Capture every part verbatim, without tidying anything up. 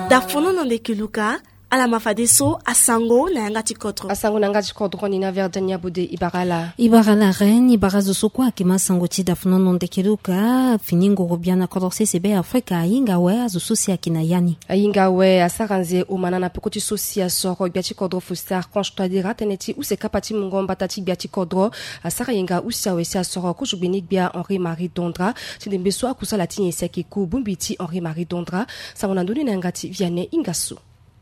Dafono na ndeke luka. Ala ma fadeso asango na yanga ti kodro. Asango na yanga ti kodro ni na verdenia bode ibara ala. Ibara ala reine ibara zo so kue ayeke ma sango ti dafono na ndeke luka. Fini ngoro bia na kodro sese be afrika ahinga awe azo so si ayeke na ya ni. Ahinga awe asara nze omana na peko ti so si asoro gbia ti kodro fostar constadera tënë ti use kapa ti mungo mbata ti gbia ti kodro. Asara yenga use awe si asoro kozo gbeni gbia henri marie dondra ti ndembe so akusala ti nyen si ayeke ku bongbi ti henri marie dondra. Sango na ndoni na yanga ti viane ingaso.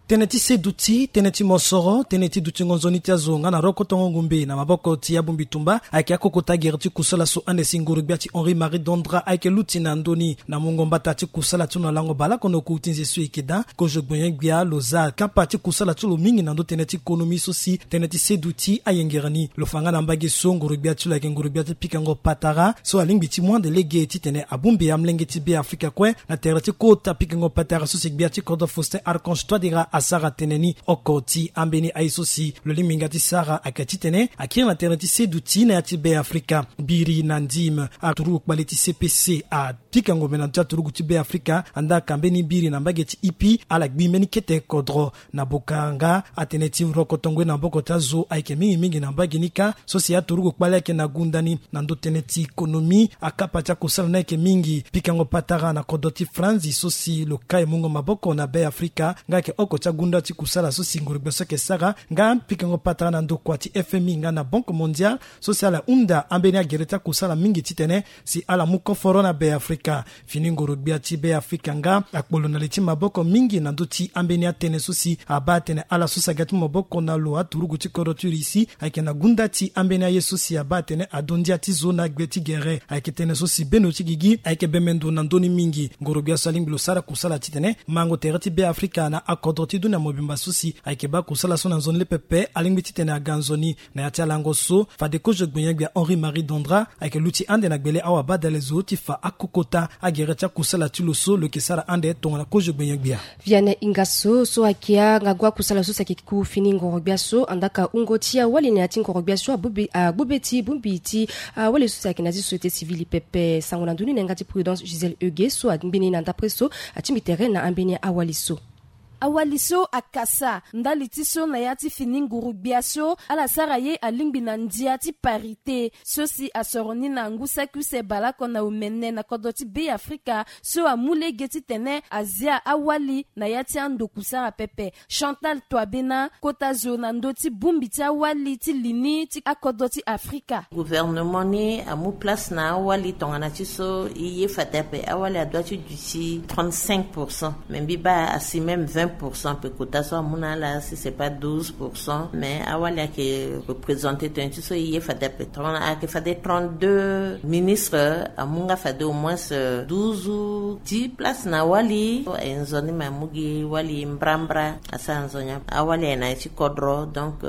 Tënë ti seduti tënë ti mosoro tënë ti dutingo nzoni ti azo nga na rokotongo ngumbe na maboko ti abongbi tumba ayeke akokota gere ti kusala so ande si nguru-gbia ti henri marie dondra ayeke luti na ndoni na mungo mbata ti kusala ti lo na lango baleoko na oku ti nze so e yeke daa. Kozo gbonyen-gbia lo za kapa ti kusala ti lo mingi na ndö tënë ti konomi so si tënë ti seduti ayengere ni. Lo fa nga na mbage so nguru-gbia ti lo ayeke nguru-gbia ti pikango patara so alingbi ti mu ande lege titene abongbi amolenge ti be afrika kue na tere ti kota pikango patara so si gbia ti kodro faustin archange toidera asara tënë ni. Oko ti ambeni aye so si lo lingbi nga ti sara ayeke titene akiri na tere ti seduti na ya ti be afrika. Biri na ndime aturugu kpale ti cpc a pikango mena ti aturugu ti be afrika andaa ka mbeni biri na mbage ti ipi ala gbi mbeni kete kodro. Na boka nga atene ti rokotongo ye na maboko ti azo ayeke mingi mingi na mbage ni kâ. So si aturugu kpale ayeke na gunda ni na ndö tënë ti konomi akapa ti akosala ni ayeke mingi pikango patara na kodro ti franzi so si lo kai mungo maboko na be afrika nga ayeke oko ti agunda ti kusala so si ngoro-gbia so ayeke sara nga pikango patara na ndokua ti fmi nga na banque mondiale so si ala hunda ambeni agere ti akusala mingi titene si ala mu koforo na be afrika. Fini ngoro-gbia ti be afrika nga akpolo na li ti maboko mingi na ndö ti ambeni atënë so si abaa atene ala so si aga ti mu maboko na lo aturugu ti kodro ti russie ayeke na gunda ti ambeni aye so si abaa atene ado ndia ti zo na gbe ti gere ayeke tënë so si beno ti gigi ayeke bembe ndo na ndö ni mingi. Ngoro-gbia so alingbi lo sara kusala titene mango tere ti be afrika na akodro ti dunia mobimba so si ayeke baa kusala so na nzoni le pepe alingbi titene aga nzoni. Na ya ti alango so fade kozo gbonyen-gbia henri marie dondra ayeke luti ande na gbele awabadale zo ti fa akokota agere ti akusala ti lo so lo yeke sara ande tongana kozo gbonyen-gbia. Viane ingaso so ayeke angagu akusala so si ayeke ku fini ngoro-gbia so andaa ka wungo ti awali na ya ti ngoro-gbia so agbu be ti bongbi ti awali so si ayeke na ya ti société civile pepe sango na ndoni na yanga ti prudence gisèle euge so angbeni na ndapre so atingbi tere na ambeni awali so. Awali so akasa ndali ti so na ya ti fini nguru-gbia so ala sara ye alingbi na ndia ti parité so si asoro ni na ngu saki use baleoko na omene na kodro ti be afrika so amu lege titene azia awali na ya ti ando kusara pepe. Chantal toibena kota zo na ndö ti bongbi ti awali ti li ni ti akodro ti afrika. Gouvernement ni amu place na awali tongana ti so e ye fade ape awali adoit ti duti trente-cinq pour cent mais mbi baa asi même vingt pour cent ape kota so amu na ala si c'est pas douze pour cent mais awali ayeke représenter tongana ti so e ye fade ape tongana ayeke fade trente-deux ministre amu nga fade au moins douze ti place na awali aye nzoni me amu gi wali mbrambra. Asara nzoni ape awali aye na ye ti kodro donc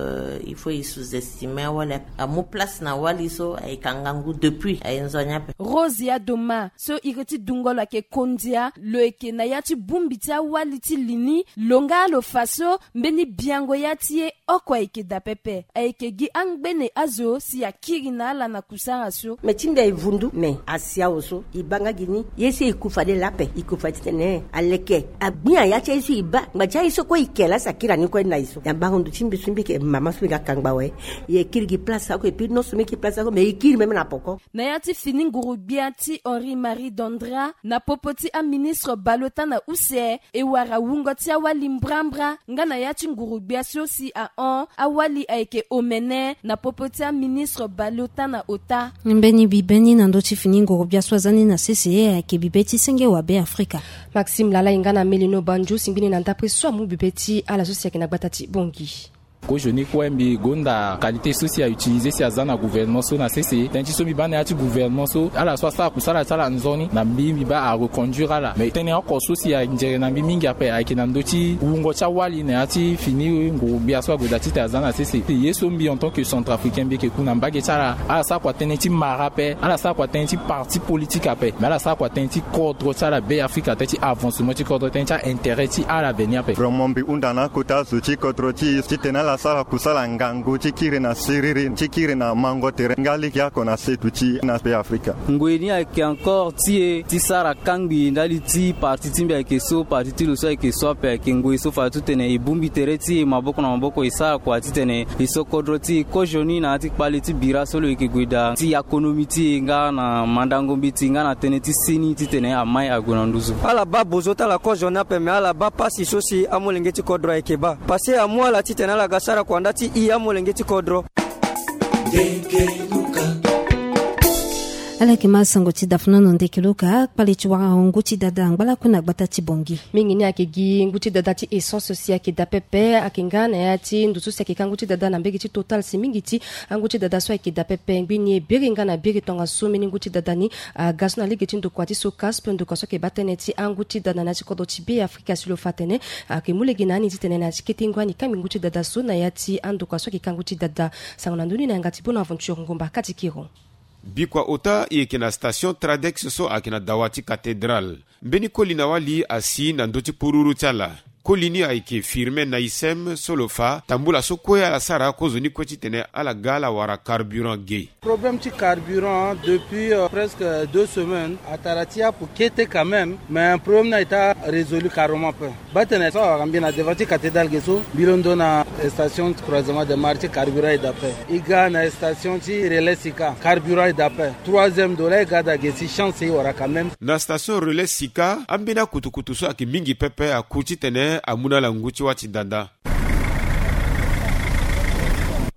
il faut e sous-estimer awali ape amu place na wali so ayeke angangu depuis aye nzoni ape. Rose ya doma so iri ti dungo lo ayeke kondia lo yeke na ya ti bongbi ti awali ti li ni. Lo nga lo fa so mbeni biango ya ti ye oko ayeke daa pepe ayeke gi angbene azo si akiri na ala na kusara so. Me ti mbi aye vundu me asi awe so e baa nga gi ni ye so e ku fade lape e ku fade titene aleke agbia ya ti aye so e baa ngba ti aye so kue e ke laa si akiri na ni kue na e so na bango ndo ti mbi so mbi yeke mama so mbi ga kangba awe. E kiri gi place oko e piri non so mbi kiri place oko me e kiri même na poko. Na ya ti fini nguru-gbia ti henri marie dondra na popo ti aministre baleota na use e wara wungo ti awali mbrambra nga na ya ti nguru-gbia so si ahon awali ayeke omene na popo ti aministre baleota na ota. Mbeni bibe ni na ndö ti fini nguru-gbia so aza ni na sese ayeke bibe ti senge wa be afrika. Maxime lala e nga na melino banjo si mbeni na ndapre so amu bibe ti ala so si ayeke na gbata ti bongi. Kozo ni kue mbi gonda qualité so si a utiliser si aza na gouvernement so na sese tënë ti so mbi baa na ya ti gouvernement so ala so asara kusala ti ala nzoni na mbi mbi baa a reconduire ala mais tënë oko so si anzere na mbi mingi ape ayeke na ndö ti wungo ti awali na ya ti fini nguru-gbia so ague daa titene aza na sese. Ye so mbi en tant que centrafricain mbi yeke ku na mbage ti ala ala sara kua tënë ti mara ape ala sara kua tënë ti parti politique ape mais ala sara kua tënë ti kodro ti ala be afrika tënë ti avancement ti kodro tënë ti aintérêt ti ala veni ape. Vraiment mbi hunda na akota zo ti kodro ti e titene ala Sara kusala ngangu ti kiri na siriri ti kiri na mango tere nga lege oko na setu ti na pe Afrika. Ngoi ni ayeke encore ti e ti sara kangbi ndali ti parti ti mbi ayeke so, parti ti lo so ayeke so ape. Ayeke ngoi so fade titene e bongbi tere ti e maboko na maboko, e sara kua titene e so kodro ti e kozoni na ya ti kpale ti bira so lo yeke gue daa ti akonomi ti e nga na mandango mbeti nga na tënë ti seni titene amai ague na nduzu. Ala baa bozo ti ala kozoni ape, me ala baa pasi so si amolenge ti kodro ayeke baa. Pase amu ala titene ala ga sara kua nda ti i amolenge ti kodro. Ala yeke ma sango ti dafuna na ndeke luka kpale ti wara ngu ti dada ngbalaku na gbata ti Bongi. Mingi ni ayeke gi ngu ti dada ti essence si ayeke daa pepe, ayeke nga na ya ti ndo so si ayeke ka ngu ti dada na mbege ti Total si mingi ti angu ti dada so ayeke daa pepe. Ngbini e biri nga na biri tongaso mbeni ngu ti dada ni aga so na lege ti ndokua ti SOCASP, ndokua so ayeke baa tënë ti angu ti dada na ya ti kodro ti Be Afrika si lo fa atene ayeke mu lege na ani titene na ya ti kete ngu ani kangbi ngu ti dada so na ya ti andokua so ayeke ka ngu ti dada. Sango na ndö ni na yanga ti Bonaventure Ngomba Katikiro. Bikua ota e yeke na station Tradex so ayeke na dawa ti cathédrale. Mbeni koli na wali asi na ndö ti kpururu ti ala. Koli ni ayeke Firmin Naïsem so lo fa tambula so kue ala sara kozoni kue titene ala ga ala wara carburant ge. Problème ti carburant depuis, euh, presque deux semaines. Atara ti apo kete quand même, mais problème ni ayeke résolu carrément pe. Baa tene so awara mbi na devant ti cathédrale ge so, mbi londo na station croisement de marché, carburant e daa pe. E ga na station ti relais Sika, carburant e daa pe. Troisième dollar e ga daa ge si chance e wara quand même. Na station relais Sika, ambeni akutukutu so ayeke mingi pepe aku titene amu na ala ngu ti wâ ti dada.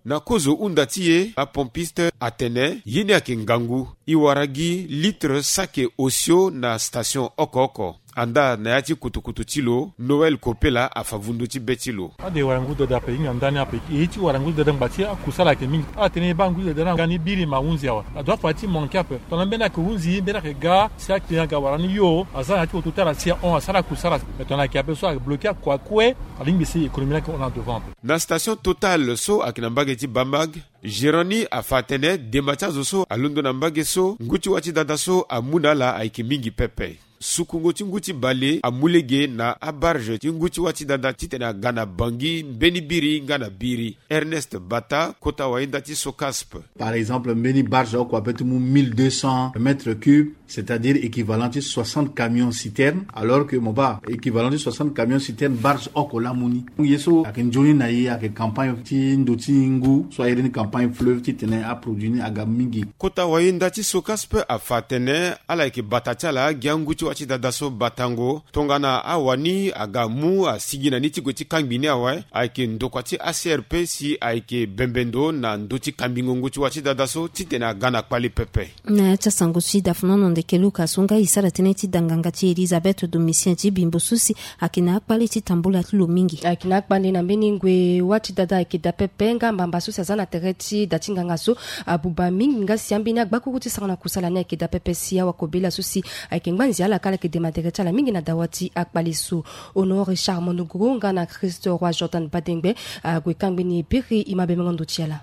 Na kozo hunda ti e, apompiste atene ye ni ayeke ngangu. E wara gi litre saki osio na station oko oko. Andaa na ya ti kutukutu ti lo, Noël Kopela afa vundu ti be ti lo. Ade wara ngu dada ape, hinga ndani ape. E ye ti wara ngu dada ngba ti akusala ayeke mingi. Ala tene e baa ngu dada na nga ni biri ma hunzi awe. Ado afa ti manke ape. Tongana mbeni ayeke hunzi, mbeni ayeke ga, si aclient aga wara ni yo, aza na ya ti oto ti ala si ahon asara kusala. Me tongana ayeke ape so abloke akua kue, alingbi si économie ni ayeke hon na devant ape. Na station Total so ayeke na mbage ti Bamag, gérant ni afa atene dema ti azo so alondo na mbage so ngu ti wâ ti dada so amu na ala ayeke mingi pepe. Sukungo ti ngu ti bale amu lege na abarge ti ngu ti wâ ti dada titene aga na Bangui mbeni biri nga na biri. Ernest Bata, kota wayenda ti SOCASP. Par exemple, mbeni barge oko ape ti mu mille deux cents mètres cubes, c'est-à-dire équivalent ti soixante camions citernes, alors que mo baa équivalent ti soixante camions citernes barge oko laa amu ni. Ye so ayeke nzoni na e ayeke campagne ti ndo ti ngu so a iri ni campagne fleuve titene aproduit ni aga mingi. Kota wayenda ti SOCASP afa atene ala yeke bata ti ala gi angu ti wâ ti dada so batango. Tongana awani aga mu asigi na ni ti gue ti kangbi ni awe, ayeke ndokua ti A C R P si ayeke bembe ndo na ndö ti kambingo ngu ti wâ ti dada so titene aga na kpale pepe. Na ya ti asango ti dafuna na ndeke Luka so nga e sara tënë ti danganga ti Elisabeth Domitien ti Bimbo so si ayeke na akpale ti tambula ti lo mingi. Ayeke na akpale na mbeni ngoi wâ ti dada ayeke daa pepe nga mbamba so si aza na tere ti da ti nganga so abuba mingi nga si ambeni agbakuru ti sara na kusala ni ayeke daa pepe si awakobela so si ayeke ngba nzia ala kâ ala yeke dema tere ti ala mingi na dawa ti akpale so. Honoré Richard Monogoro nga na Christ Roi Jordan Badengbe ague kangbi ni e biri e ma bemengo ndo ti ala.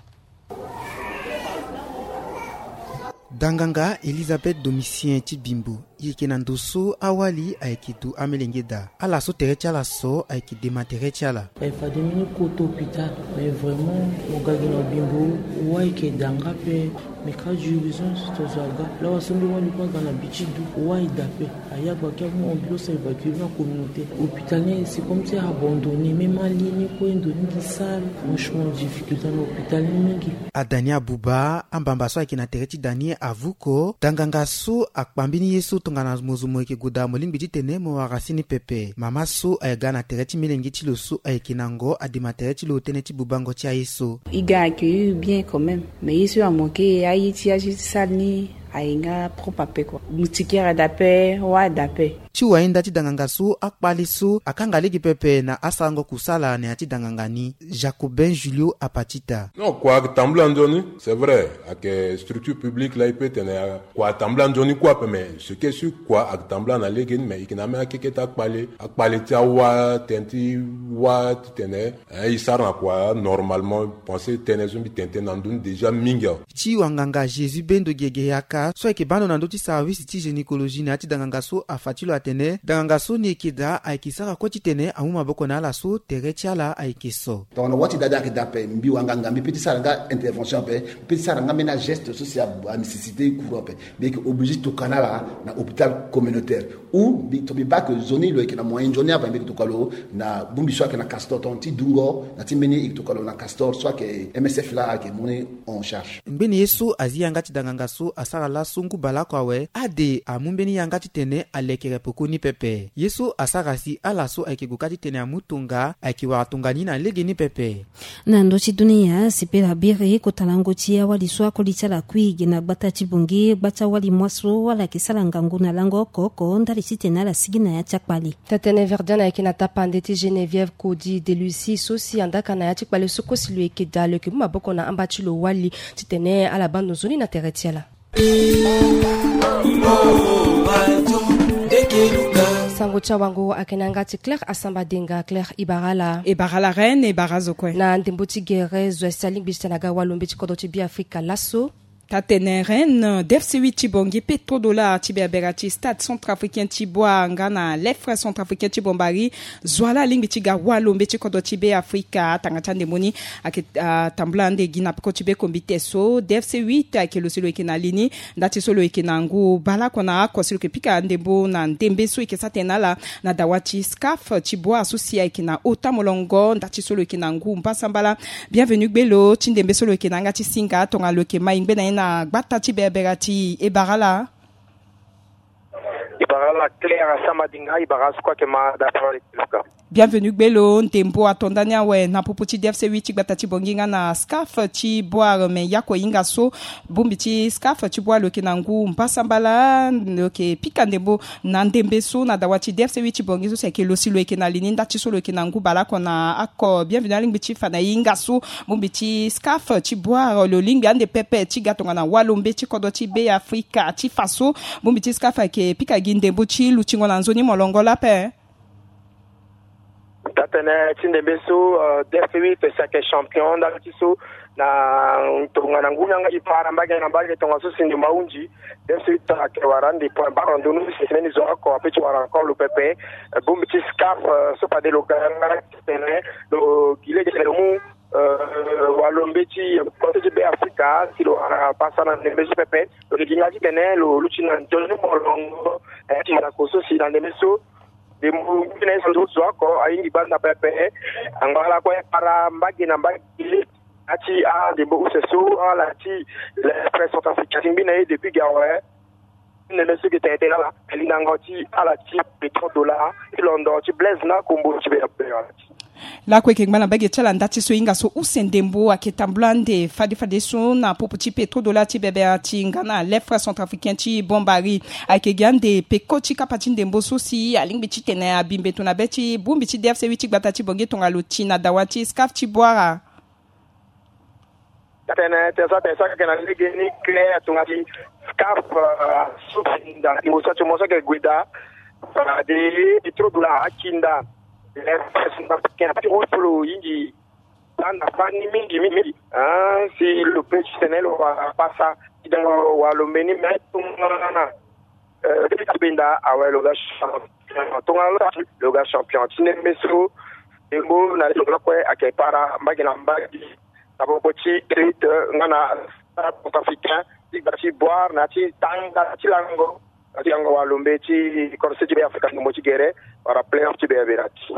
Danganga Elisabeth Domitien ti Bimbo, e yeke na ndo so awali ayeke du amelenge daa. Ala so tere ti ala so ayeke dema tere ti ala. E fade mbeni kota hôpital, mais vraiment mo ga gi na Bimbo, wâ ayeke daa nga ape. Mais cas d'urgence tongana zo aga, lawa so mbi wali kue aga na bi ti du, wâ e daa ape. Aya gbaki amu ambulance a évacuer na communauté. Hôpital ni c'est comme si abandonné, même ali ni kue ndo ni gi sale. Franchement difficulté na hôpital ni mingi. Ada ni abuba, ambamba so ayeke na tere ti da ni avuko. Danganga so akpa mbeni ye so tongana mo zo mo yeke gue daa mo lingbi titene mo wara si ni pepe. Mama so aga na tere ti melenge ti lo so ayeke na ngo adema tere ti lo tënë ti bubango ti aye so. E ga accueillir bien quand même. Mais ye so amanke aye ti aye ti sale ni aye nga propre ape kua. Moustiquaire ada ape, wâ ada ape. Ti wayenda ti danganga so akpale so akanga lege pepe na asarango kusala na ya ti danganga ni. Jacobin Julio Apatita. Non, kua ayeke tambula nzoni, c'est vrai, ayeke structure publique laa e peut tene kua atambula nzoni kue ape, mais ce qui est sûr kua ayeke tambula na lege ni, mais e yeke na ambeni akeke ti akpale, akpale ti awâ, tënë ti wâ titene, eh, e sara na kua normalement. Pensé tënë so mbi tene tënë na ndö ni déjà mingi awe. Ti wanganga Jésus Bendo Gege Yaka so ayeke baa ndo na ndö ti service ti gynécologie na ya ti danganga so afa ti lo atene Tene danganga so ni eke daa ayeke sara kue titene amu maboko na ala so tere ti ala ayeke so. Tongana wâ ti daa daa ayeke daa ape, mbi wanganga mbi peut ti sara nga intervention ape, mbi peut ti sara nga mbeni ageste so si anécessité e courant ape, mbi yeke obligé ti toka na ala na hôpital communautaire. Ou mbi to mbi baa ke nzoni lo yeke na moyen nzoni ape, mbi yeke toka lo na bongbi so ayeke na Castor, tongana ti dungo na ti mbeni e yeke toka lo na Castor so ayeke M S F laa ayeke mu ni en charge. Ngbeni ye so azi yanga ti danganga so asara laso ngu baleoko awe, ade amu mbeni yanga titene alekere peko ni pepe. Ye so asara si ala so ayeke gue kâ titene amu tonga ayeke wara tonga ni na legeni pepe. Na ndö ti dunia, sipela biri kota lango ti awali so akoli ti ala kui gi na gbata ti Bangui, gba ti awali mois so ala yeke sara ngangu na lango oko oko ndali titene ala sigi na ya ti akpale. Tatene Verdiane ayeke na tapande ti Geneviève Cody de Lucie so si andaka na ya ti kpale so kosi lo yeke daa lo yeke mu maboko na amba ti lo wali titene ala baa ndo nzoni na tere ti ala. Sango ti awango ayeke na yanga ti Claire Asamba Denga. Claire, e bara ala. E bara ala reine, e bara azo kue. Na ndembo ti gere zo esi alingbi ti tene aga walo mbeti kodro ti Beafrika laso. Tatene reine, D F C huit ti Bangui, Petrodollar ti Berbera ti Stade Centrafricain ti Bouar nga na Lefre Centrafricain ti Bombari, zo wa laa alingbi ti ga walo mbeti kodro ti Beafrika. Atanga ti andembo ni ayeke, ah, tambula ande gi na peko ti be kombite so. D F C huit ayeke lo si lo yeke na li ni nda ti so lo yeke na ngu baleoko na oko si lo yeke pika ndembo na ndembe so e yeke sara tënë na ala na dawa ti SCAF ti Bouar so si ayeke na ota molongo nda ti so lo yeke na ngu mbasambala. Bienvenu gbe lo ti ndembe so lo yeke na yanga ti singa tongana lo yeke ma e ngbe na ye na gbata ti Berbera ti e bara ala. E bara ala Claire Asamba Denga, e bara azo kue ayeke ma da parole ti luka. Bienvenu gbe lo, ndembo ato ndani awe na popo ti D F C huit ti gbata ti Bangui nga na SCAF ti Bouar, me yako hinga so bongbi ti SCAF ti Bouar lo yeke na ngu mbasambala, lo yeke pika ndembo na ndembe so na dawa ti D F C huit ti Bangui so si ayeke lo si lo yeke na li ni nda ti so lo yeke na ngu baleoko na oko. Bienvenu alingbi ti fa na e hinga so bongbi ti SCAF ti Bouar lo lingbi ande pepe ti ga tongana walo mbeti kodro ti Beafrika ti fa so bongbi ti SCAF ayeke pika gi ndembo ti lutingo na nzoni molongo laa ape. Tatene ti ndembe so, euh, D F C huit si ayeke champion nda ti so na tongana ngu ni yanga e para mbage na mbage tongana so si ndembo ahunzi. D F C huit ayeke wara ande point barre na ndö ni si mbeni zo oko ape ti wara encore lo pepe. Euh, bongbi ti SCAF, euh, so fade lo ga yanga titene lo gi lege titene lo mu, euh, walo mbeti kodro ti Beafrika si lo wara pasa na ndembe so pepe. Lo yeke gi nga titene lo luti na nzoni molongo, eh, ti ndako so si na ndembe so. Ndembo ngu ni na ye so ndo zo oko ahingi gbanda pepe. Angala kue para mbage na mbage. Ati a ndembo use so ala ti Lefre Centrafricain ti ngbi na ye depuis ga awe. Ndembe so ge tene tene ala lindango ti ala ti Petrodollar ti londo ti Blaise na kombo ti be. Lakue yeke ngba na mbage ti ala nda ti so e hinga so use ndembo ayeke tambula ande fade fadeso na popo ti Petrodollar ti Berbera ti nga na Lefre Centrafricain ti Bombari. Ayeke gi ande peko ti kapa ti ndembo so si alingbi titene abi mbeto na be ti bongbi ti D F C huit ti gbata ti Bangui tongana lo ti na dawa ti SCAF ti Bouar. Tene tene so atene so ayeke na lege ni Claire tongana ti SCAF, euh, so si nda ndembo so ti mo so ayeke gue daa, euh, de Petrodollar akinda. Ti ro so lo hingi tanda fani mingi mingi mingi. Ah, si lo pe titene lo wara pasa ti dango walo mbeni me tongana, euh, ti benda awe lo ga champion. Tongana lo ga champion ti ndembe so. Ndembo na lo lakue ayeke para mbage na mbage na popo ti Crete nga na Centrafricain ti gba ti Bouar na ti tanga ti lango. Ti yango walo mbeti kodro ti Beafrika ndembo ti gere wala playoff ti Berbera ti.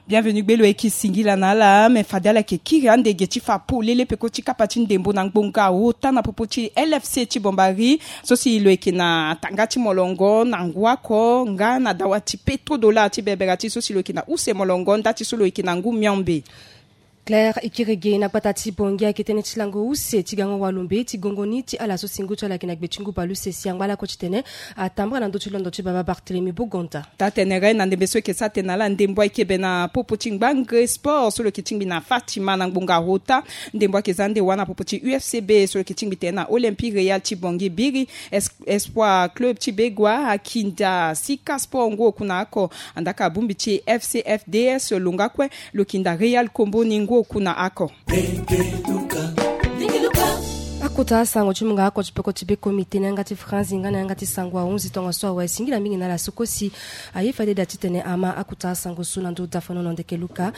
Bienvenu gbe lo, e yeke singila na ala me fade ala yeke kiri ande ge ti fa polele peko ti kapa ti ndembo na ngbonga ota na popo ti L F C ti Bombari so si lo yeke na tanga ti molongo na ngu oko nga na dawa ti Petrodollar ti Berbera ti so si lo yeke na use molongo nda ti so lo yeke na ngu miombe. Claire, e kiri ge na gbata ti Bangui ayeke tënë ti lango use ti gango walo mbeti gongo ni ti ala so si ngu ti ala ayeke na gbe ti ngu baleuse si angba lakue titene atambara na ndö ti londo ti baba Barthélemy Bogonda. Taa tene re na ndembe so e yeke sara tene na ala ndembo ayeke be na popo ti ngbangre sport so lo yeke tingbi na Fatima na ngbonga ota. Ndembo ayeke za ande wa na popo ti U F C B so lo yeke tingbi tene na Olympique Real ti Bangui biri, Es-, Espoir Club ti Begoua akinda Sika Sport ngu oku na oko. Andaka bongbi ti F C F D S lo nga kue lo kinda Real Kombo ni ngu oku na oko. Kota sango ti munga ako ti peko ti be komite na yanga ti franzi nga na yanga ti sango ahunzi tongaso awe singila mingi na ala so kosi. Aye fade da titene ama akuta sango so na ndo dafanono ndeke luka.